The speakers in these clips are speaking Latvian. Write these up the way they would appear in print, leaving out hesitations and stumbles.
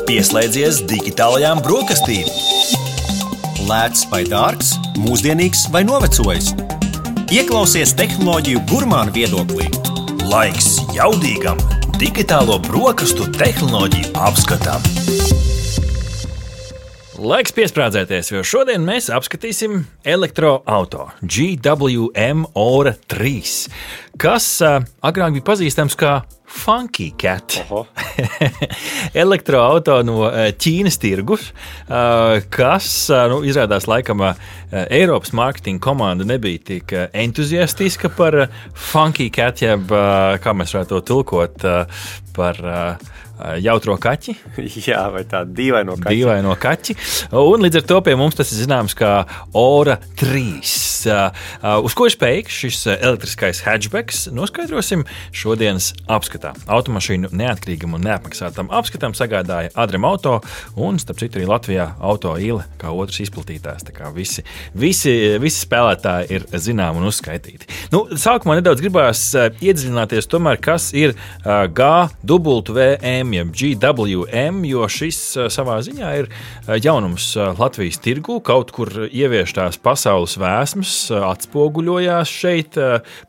Pieslēdzies digitālajām brokastīm. Lēts vai dārgs, mūsdienīgs vai novecojis. Ieklausies tehnoloģiju gurmānu viedoklī. Laiks jaudīgam digitālo brokastu tehnoloģiju apskatam. Laiks piesprādzēties, jo šodien mēs apskatīsim elektroauto GWM Ora 3, kas agrāk bija pazīstams kā Funky Cat. Elektroauto no Ķīnas tirgus, kas izrādās laikam Eiropas mārketinga komanda nebija tik entuziastiska par Funky Cat, jeb kā mēs varētu to tulkot par jautro kaķi. Jā, vai tādu dīvaino kaķi. Dīvaino kaķi. Un līdz ar to pie mums tas ir zināms kā Ora 3. Uz ko ir spējīgs šis elektriskais hatchbacks, noskaidrosim šodienas apskatā. Automašīnu neatkarīgam un neapmaksātam apskatam sagādāja Adrem Auto un, starp citu, arī Latvijā Auto Ile kā otrs izplatītājs. Tā kā visi spēlētāji ir zinām un uzskaitīti. Sākumā nedaudz gribās iedziļināties tomēr, kas ir GWM, jeb GWM, jo šis savā ziņā ir jaunums Latvijas tirgū, kaut kur ieviestās pasaules vēsmas atspoguļojās šeit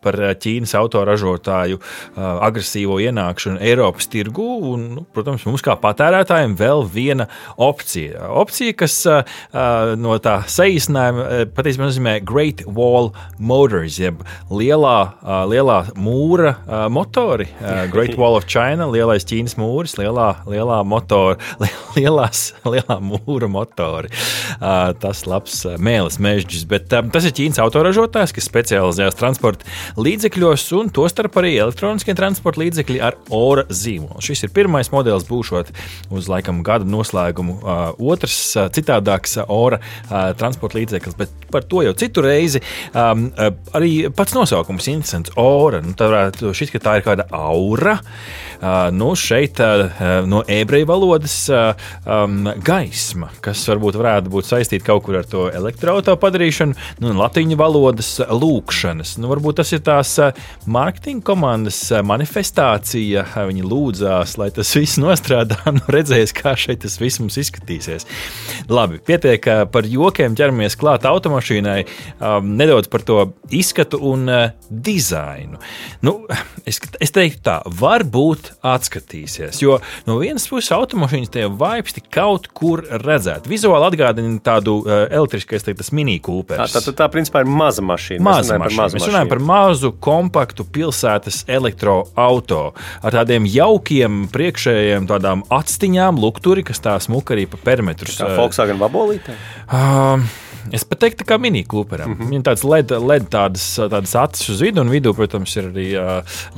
par Ķīnas autoražotāju agresīvo ienākšanu Eiropas tirgū, un, protams, mums kā patērētājiem vēl viena opcija. Opcija, kas no tā saīsinājuma patiesībā nozīmē Great Wall Motors, jeb lielā mūra motori, Great Wall of China, lielais Ķīnas mūris, lielā mūra motori. Tas labs mēlis mežģis, bet tas ir Ķīnas autoražotājs, kas specializējas transporta līdzekļos un tostarp arī elektroniskie transporta līdzekļi ar Ora zīmolu. Šis ir pirmais modelis, būšot uz laikam gada noslēgumu otrs citādāks Ora transporta līdzeklis, bet par to jau citu reizi. Arī pats nosaukums interesants Ora. Šis, ka tā ir kāda aura. Šeit no ebreju valodas gaisma, kas varētu būt saistīta kaut kur ar to elektroauto padarīšanu, latīņu valodas lūkšanas. Varbūt tas ir tās mārketinga komandas manifestācija. Viņi lūdzās, lai tas viss nostrādā, redzēs, kā šeit tas viss mums izskatīsies. Labi, pietiek par jokiem, ķeramies klāt automašīnai, nedaudz par to izskatu un dizainu. Es teiktu tā, varbūt atskatīsies, jo no vienas puses automašīnas tie vibes tik kaut kur redzēt. Vizuāli atgādina tādu elektriskais, tas Mini Coopers. Tā principā ir maza mašīna. Mēs runājam par mazu, kompaktu pilsētas elektroauto ar tādiem jaukiem priekšējiem tādām atstiņām, lukturi, kas tā smuka arī pa perimetrus. Kā Volkswagen vabolītē? Es pat teiktu, kā Mini Cooperam. Viņam tāds LED tādas acis uz vidu, un vidū, protams, ir arī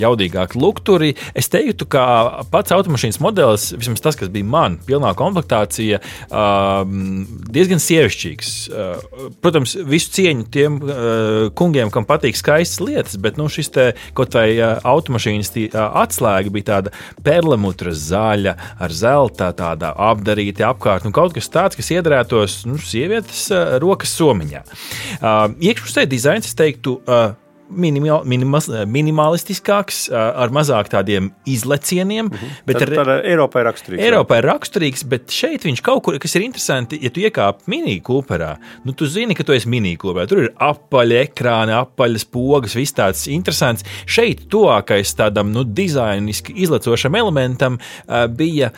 jaudīgāki lukturi. Es teiktu, ka pats automašīnas modelis, vismaz tas, kas bija man, pilnā komplektācija, diezgan sievišķīgs. Protams, visu cieņu tiem kungiem, kam patīk skaistas lietas, bet šis te kaut vai automašīnas atslēga bija tāda perlemutra zaļa ar zelta, tāda apdarīta apkārt, kaut kas tāds, kas iedarētos sievietes rokas somiņā. Iekšpusē dizains, es teiktu, minimalistiskāks, ar mazāk tādiem izlecieniem. Bet Eiropai raksturīgs. Eiropai raksturīgs, bet šeit viņš kaut kur, kas ir interesanti, ja tu iekāp Mini Cooperā, tu zini, ka tu esi Mini Cooperā. Tur ir apaļi ekrāni, apaļas pogas, viss tāds interesants. Šeit tuvākais tādam dizainiski izlecošam elementam bija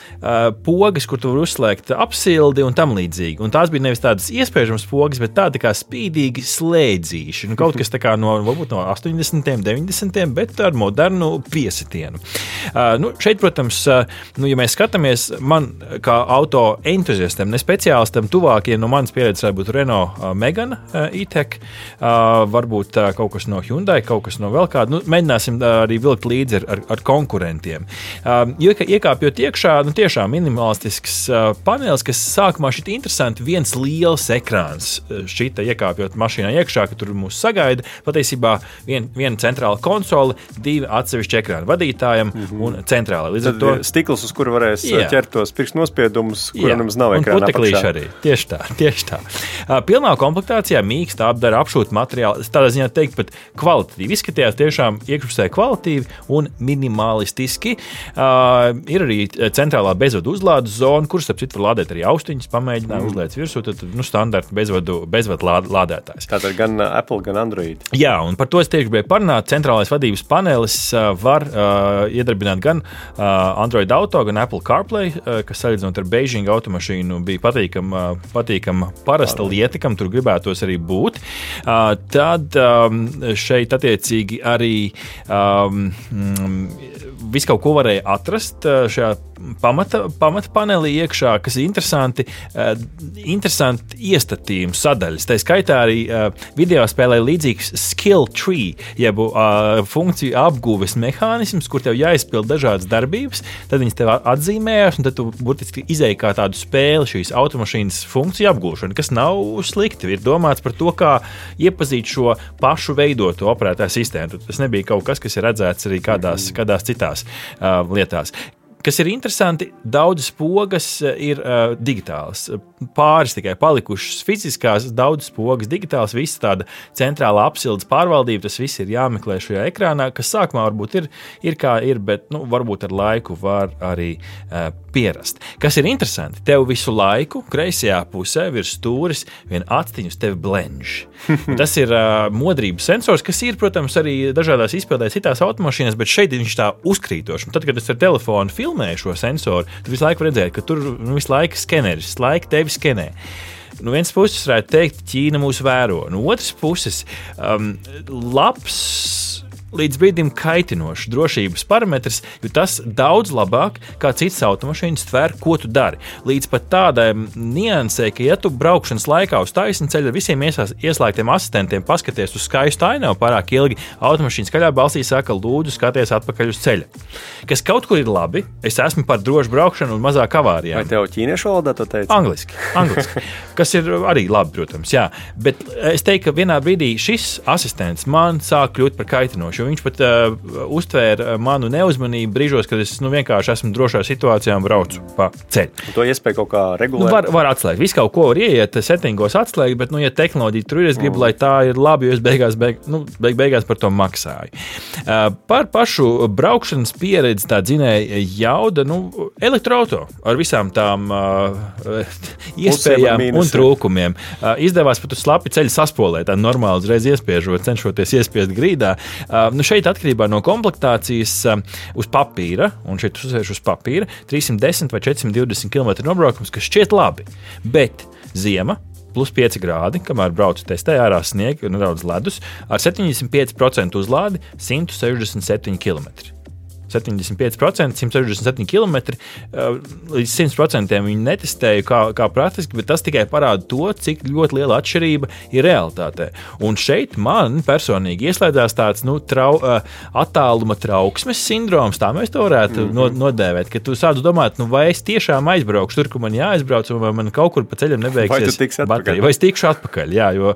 pogas, kur tu var uzslēgt apsildi un tam līdzīgi. Un tās bija nevis tādas iespējamas pogas, bet tādi kā spīdīgi slēdzīši. Kaut kas tā kā varbūt no 80. 90. bet ar modernu piesitienu. Šeit, protams, ja mēs skatāmies, man kā auto entuziastam, ne speciālistam, tuvākiem no manas pieredzes varbūt Renault Megane E-Tech, varbūt kaut kas no Hyundai, kaut kas no vēl kāda. Mēģināsim arī vilkt līdzi ar konkurentiem. Iekāpjot iekšā, tiešām minimalistisks panelis, kas sākumā šķita interesanti, viens liels ekrāns šķita iekāpjot mašīnā iekšā, ka tur mūs sagaida. Patiesībā viena centrāla konsole, 2 atsevišķi ekrāni vadītājam un centrālai. Līdz ar to stikls, uz kuru varēs ķert tos pirkstu nospiedumus, kuram nemaz nav ekrāna apakšā. Un puteklīši arī. Tieši tā. Pilnā komplektācijā mīksta apdara apšūta materiāli. Tādā ziņā teikt pat kvalitatīvi. Izskatījās tiešām iekšpusē kvalitīvi un minimalistiski. Ir arī centrālā bezvadu uzlādes zona, kuras, ap citu, var lādēt arī austiņas, pamēģināja uzlēts virsū, tad standarta bezvadu lādētājs. Tātad gan Apple, gan Android. Jā, un par to es tieši gribēju parunāt. Centrālais vadības panelis var iedarbināt gan Android Auto, gan Apple CarPlay, kas salīdzinot ar Beijing automašīnu bija patīkama parasta lieta, kam tur gribētos arī būt. Tad šeit attiecīgi arī visu kaut ko varēja atrast šajā pamata panelī iekšā, kas ir interesanti iestatījums sadaļas. Tā skaitā arī video spēlē līdzīgs skill tree, jeb funkciju apguves mehānisms, kur tev jāizpild dažādas darbības, tad viņas tev atzīmējās, un tad tu burtiski izēji kā tādu spēli šīs automašīnas funkciju apgūšanu, kas nav slikti. Ir domāts par to, kā iepazīt šo pašu veidoto operētāju sistēmu. Tas nebija kaut kas, kas ir redzēts arī kādās citās lietās. Kas ir interesanti, daudzas pogas ir digitālas. Pāris tikai palikušas fiziskās, daudzas pogas digitālas, viss tāda centrālā apsildes pārvaldība, tas viss ir jāmeklē šajā ekrānā, kas sākumā varbūt ir kā ir, bet varbūt ar laiku var arī pierast. Kas ir interesanti, tev visu laiku kreisajā pusē virs stūris vien actiņus tevi blenž. Tas ir modrības sensors, kas ir, protams, arī dažādās izpildēs citās automašīnās, bet šeit viņš tā uzkrītoši. Un tad, kad es ar telefonu filmēju šo sensoru, tu visu laiku redzēji, ka tur visu laiku skeneris, visu laiku tevi skenē. No vienas puses varētu teikt, Ķīna mūs vēro. No otras puses, labs līdz brīdim kaitinošs drošības parametrs, jo tas daudz labāk kā citas automašīnas tver, ko tu dari. Līdz pat tādai niansē, ka ja tu braukšanas laikā uz taisnu ceļu ar visiem ieslēgtiem asistentiem paskaties uz skaistu ainavu pārāk ilgi, automašīna skaļā balsī saka, lūdzu skaties atpakaļ uz ceļa. Kas kaut kur ir labi, es esmu par drošu braukšanu un mazāk avārijām. Vai tev ķīniešu valodā to teici? Angliski. Kas ir arī labi, protams, jā. Bet es teiktu, ka vienā brīdī šis asistents man sāk kļūt par kaitinošu. Viņš pat uztvēra manu neuzmanību brīžos, kad es vienkārši esmu drošā situācijā un braucu pa ceļu. To iespēju kaut kā regulēt? Var atslēgt. Visu kaut ko var ieiet settingos atslēgt, bet, ja tehnoloģija tur ir, es gribu, lai tā ir labi, jo es beigās par to maksāju. Par pašu braukšanas pieredzi tā dzinēja jauda, elektroauto ar visām tām iespējām un trūkumiem. Izdevās pat uz slapi ceļu saspolēt, tā normāli uzreiz iespiežot, cenšoties iespiest grīdā. Šeit atkarībā no komplektācijas uz papīra, un šeit uzsvēršu uz papīra, 310 vai 420 km nobraukums, kas šķiet labi, bet ziema, plus 5 grādi, kamēr braucu testē ārā sniega un nedaudz ledus, ar 75% uzlādi 167 km. 75%, 167 km, līdz 100% viņi netestēju kā praktiski, bet tas tikai parāda to, cik ļoti liela atšķirība ir realitātē. Un šeit man personīgi ieslēdzās tāds attāluma trauksmes sindroms, tā mēs to varētu nodēvēt, ka tu sāc domāt, vai es tiešām aizbraukšu tur, kur man jāaizbrauc, vai man kaut kur pa ceļam nebeigsies baterija. Vai es tikšu atpakaļ, jā, jo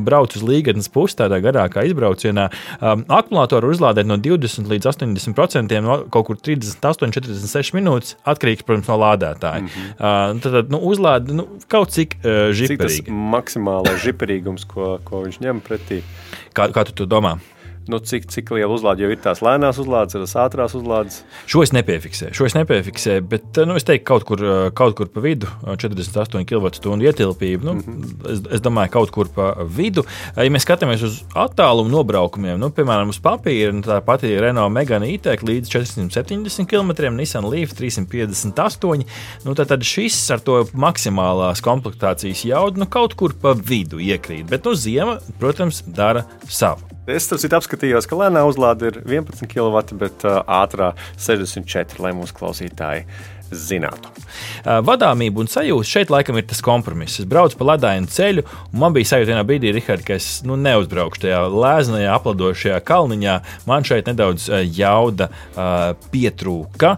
braucu uz Līgatnes pusi tādā garākā izbraucienā. Akumulātoru uzlādēt no 20 līdz 80%, kaut kur 38-46 minūtes, atkarīgs, protams, no lādētāja. Tad uzlāde kaut cik žiperīgi. Cik tas maksimālais žiperīgums, ko viņš ņem pretī? Kā tu to domā? Cik liela uzlāde jau ir tās lēnās uzlādes, tās ātrās uzlādes? Šo es nepiefiksēju, bet es teiktu kaut kur pa vidu, 48 kWh ietilpību. Es domāju, kaut kur pa vidu. Ja mēs skatāmies uz attālumu nobraukumiem, piemēram, uz papīra, tā pati Renault Megane E-Tech līdz 470 km, Nissan Leaf 358, tad šis ar to maksimālās komplektācijas jaudu kaut kur pa vidu iekrīt, bet ziema, protams, dara savu. Es apskatījos, ka lēnā uzlāde ir 11 kW, bet ātrā 64, lai mūsu klausītāji zinātu. Vadāmība un sajūta šeit laikam ir tas kompromiss. Es braucu pa ledainu ceļu, un man bija sajūta vienā brīdī, Rihard, ka es neuzbraukšu tajā lēznajā, apladošajā kalniņā. Man šeit nedaudz jauda pietrūka.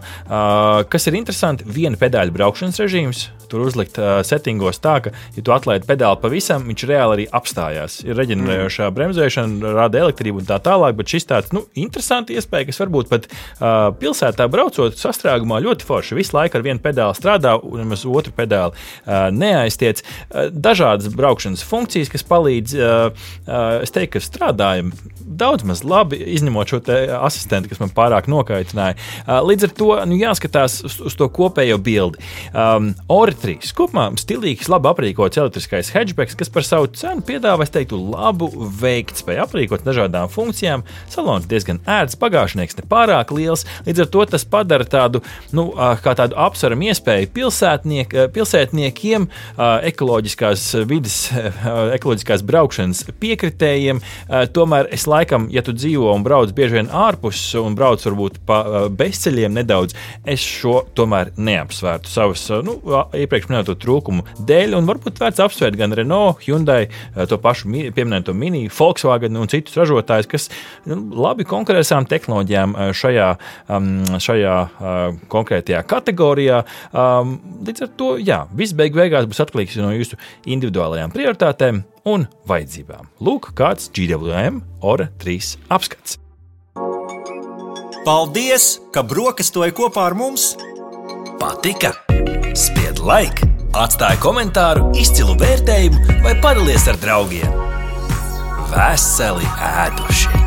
Kas ir interesanti, viena pedāļa braukšanas režīms, tur uzlikt settingos tā, ka, ja tu atlaidi pedāli pavisam, viņš reāli arī apstājās. Ir reģenerējošā bremzēšana, rada elektrību un tā tālāk, bet šis tāds, interesanti iespēja, kas varbūt pat pilsētā braucot sastrēgumā ļoti forši. Visu laiku ar vienu pedāli strādā un nemaz otru pedāli neaiztiec. Dažādas braukšanas funkcijas, kas palīdz, es teiktu, ka strādājam daudz maz labi, izņemot šo asistentu, kas man pārāk nokaitināja. Līdz ar to jāskatās uz to kopējo bildi. Ora 3. Kopumā stilīgs, labi aprīkots elektriskais hatchbacks, kas par savu cenu piedāvā, es teiktu, labu veiktspēju aprīkot dažādām funkcijām. Salons diezgan ērts, bagāžnieks nepārāk liels, līdz ar to tas padara tādu, kā tādu apsveramu iespēju pilsētniekiem, ekoloģiskās vides, ekoloģiskās braukšanas piekritējiem. Tomēr es laikam, ja tu dzīvo un brauc bieži vien ārpus un brauc varbūt pa bezceļiem nedaudz, es šo tomēr neapsvērtu savas, iepriekš minēto trūkumu dēļ, un varbūt vērts apsvērt gan Renault, Hyundai, to pašu pieminēto Mini, Volkswagen un citus ražotājus, kas labi konkurē savām tehnoloģijām šajā konkrētajā kategorijā. Līdz ar to, viss beigās būs atkarīgs no jūsu individuālajām prioritātēm un vajadzībām. Lūk, kāds GWM Ora 3 apskats. Paldies, ka brokastoji kopā ar mums! Patika? Spied like, atstāj komentāru, izcilu vērtējumu vai padalies ar draugiem. Veseli ēduši!